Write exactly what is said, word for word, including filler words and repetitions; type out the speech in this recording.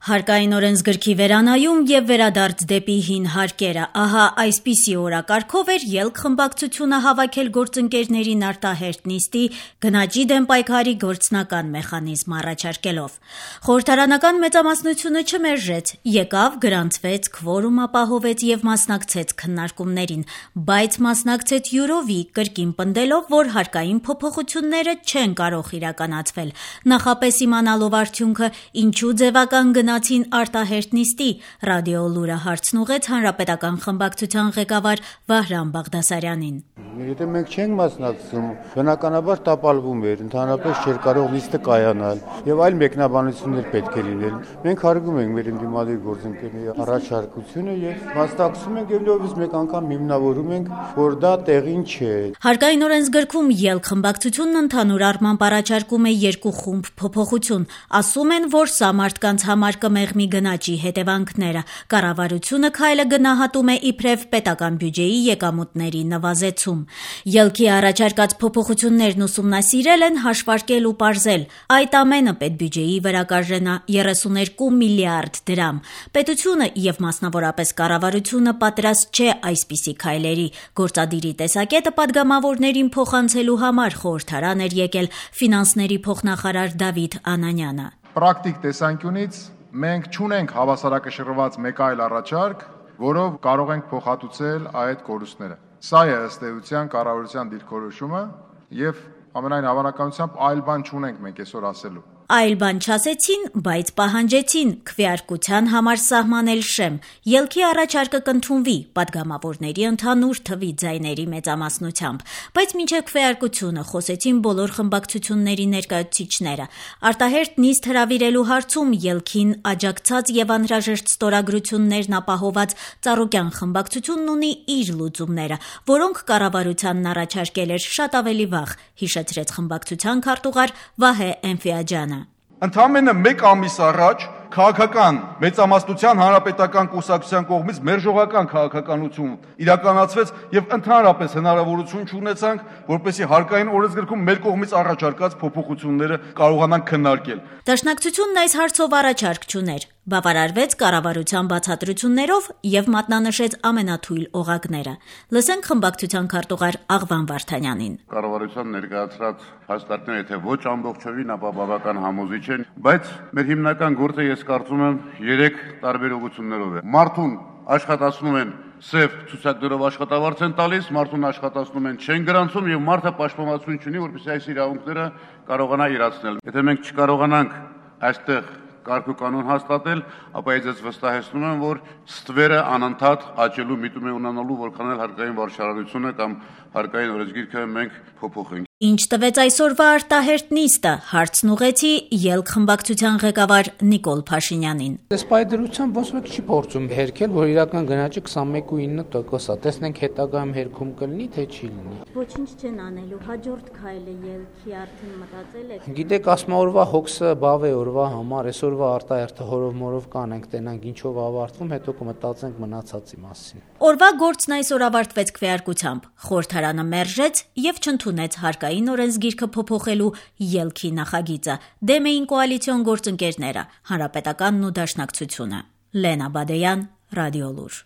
Հարկային օրենսգրքի վերանայում եւ վերադարձ դեպի հին հարկերը։ Ահա այսպիսի օրակարգով էր ելք խմբակցությունը հավաքել գործընկերներին արտահերթ նիստի գնաճի դեմ պայքարի գործնական մեխանիզմ առաջարկելով։ Խորհրդարանական մեծամասնությունը չմերժեց, եկավ, գրանցվեց, քվորում ապահովեց եւ մասնակցեց քննարկումներին, բայց մասնակցեց յուրովի կրկին պնդելով, որ հարկային փոփոխությունները չեն կարող իրականացվել։ Նախապես իմանալով արդյունքը, ինչու ձևական գնաճ արտահերթ նիստի, Ռադիո լուրը հարցն ուղղեց հանրապետական խմբակցության ղեկավար Վահրամ Բաղդասարյանին։ Եթե մենք չենք մասնակցում, բնականաբար տապալվում էր, ընդհանրապես չէր կարող նիստը կայանալ եւ այլ մեկնաբանություններ պետք է լինել։ Մենք հարգում ենք մեր ընդդիմադիր գործընկերների առաջարկությունը եւ մասնակցում ենք եւ նույնիսկ մեկ անգամ հիմնավորում ենք, որ դա տեղին չէ։ Հարկային օրենսգրքում ելք խմբակցությունն ընդհանուր առմամբ առաջարկում է երկու խումբ փոփոխություն։ Ասում են, որ սա մարդկանց համար կմեղմի գնաճի հետևանքները։ Կառավարությունը քայլը գնահատում է իբրև պետական բյուջեի եկամուտների նվազեցում։ Ելքի առաջարկած փոփոխություններն ուսումնասիրել են, հաշվարկել ու պարզել։ Այդ ամենը պետբյուջեի վրա կարժենա երեսուներկու միլիարդ դրամ։ Պետությունը եւ մասնավորապես կառավարությունը պատրաստ չէ այսպիսի քայլերի։ Գործադիրի տեսակետը падգամավորներին փոխանցելու համար խորհրդարան էր եկել ֆինանսների փոխնախարար Դավիթ Անանյանը։ Պրակտիկ տեսանկյունից մենք չունենք հավասարակշռված մեկ այլ առաջարկ, որով կարող ենք փոխհատուցել այդ կորուստները։ Սա է ըստ էության կառավարության դիրքորոշումը եւ ամենայն հավանականությամբ այլ բան չունենք մենք այսօր ասելու։ Այլ բան չասեցին, բայց պահանջեցին քվեարկության համար սահմանել շեմ։ Ելքի առաջարկը կընդունվի падգամավորների ընդհանուր թվի ձայների մեծամասնությամբ, բայց մինչև քվեարկությունը խոսեցին բոլոր խմբակցությունների ներկայացուցիչները։ Արտահերթ նիստ հրավիրելու հարցում ելքին աջակցած եւ անհրաժեշտ ստորագրություններն ապահոված Ծառուկյան խմբակցությունն ունի իր լուծումները, որոնք կառավարությանն առաջարկել էր շատ ավելի վաղ, հիշեցրեց խմբակցության քարտուղար Վահե Էնֆիաջյանը։ Ընդամենը մեկ ամիս առաջ քաղաքական մեծամասնության հանրապետական կուսակցության կողմից մերժողական քաղաքականություն իրականացվեց եւ ընդհանրապես հնարավորություն չունեցանք, որպեսզի հարկային օրենսգրքում մեր կողմից առաջարկած փոփոխությունները կարողանանք քննարկել։ Դաշնակցությունն այս հարցով առաջարկ չուներ, բավարարվեց կառավարության բացատրություններով եւ մատնանշեց ամենաթույլ օղակները։ Լսենք խմբակցության քարտուղար Աղվան Վարդանյանին։ Կառավարության ներկայացրած հաստատները եթե ոչ ամբողջովին, ապա բավական համոզիչ են, բայց մեր հիմնական գործը ես կարծում եմ երեք տարբեր ուղղություններով է։ Մարդուն աշխատացնում են սև ցուցակներով աշխատավարձ են տալիս, մարդուն աշխատացնում են չեն գրանցում եւ մարդը պաշտպանություն չունի, որպեսզի այս իրավունքները կարողանա իրացնել։ Եթե մենք չկարողանանք այստեղ կարգ ու կանոն հաստատել, ապա ես վստահեցնում եմ, որ ստվերը անընդհատ աճելու միտում է ունենալու, որքան էլ հարկային վարչարարությունը կամ հարկային օրենսգիրքը մենք փոփոխենք։ Ինչ տվեց այսօրվա արտահերթ նիստը, հարցն ուղղեցի ելք խմբակցության ղեկավար Նիկոլ Փաշինյանին։ Այս պայդրությամբ ոնց ոք չի փորձում հերքել, որ իրական գնաճը քսանմեկ կόμμα ինը տոկոս է։ Տեսնենք հետագայում հերքում կլինի, թե չի լինի։ Ոչինչ չեն անելու, հաջորդ քայլը ելքի արդեն մտածել եք։ Գիտեք, ասма օրվա հոգսը բավ է օրվա համար, այսօրվա արտահերթը հորով մորով կանենք, տենանք ինչով ավարտվում, հետո կմտածենք մնացածի մասին։ Օրվա գործն այսօր ավարտվեց քվեարկությամբ։ Խորհրդարանը մերժեց եւ չընդունեց հարկային օրենսգիրքը փոփոխելու ելքի նախագիծը։ Դեմ էին կոալիցիոն գործընկերները, Հանրապետականն ու Դաշնակցությունը։ Լենա Բադեյան, Ռադիո լուր։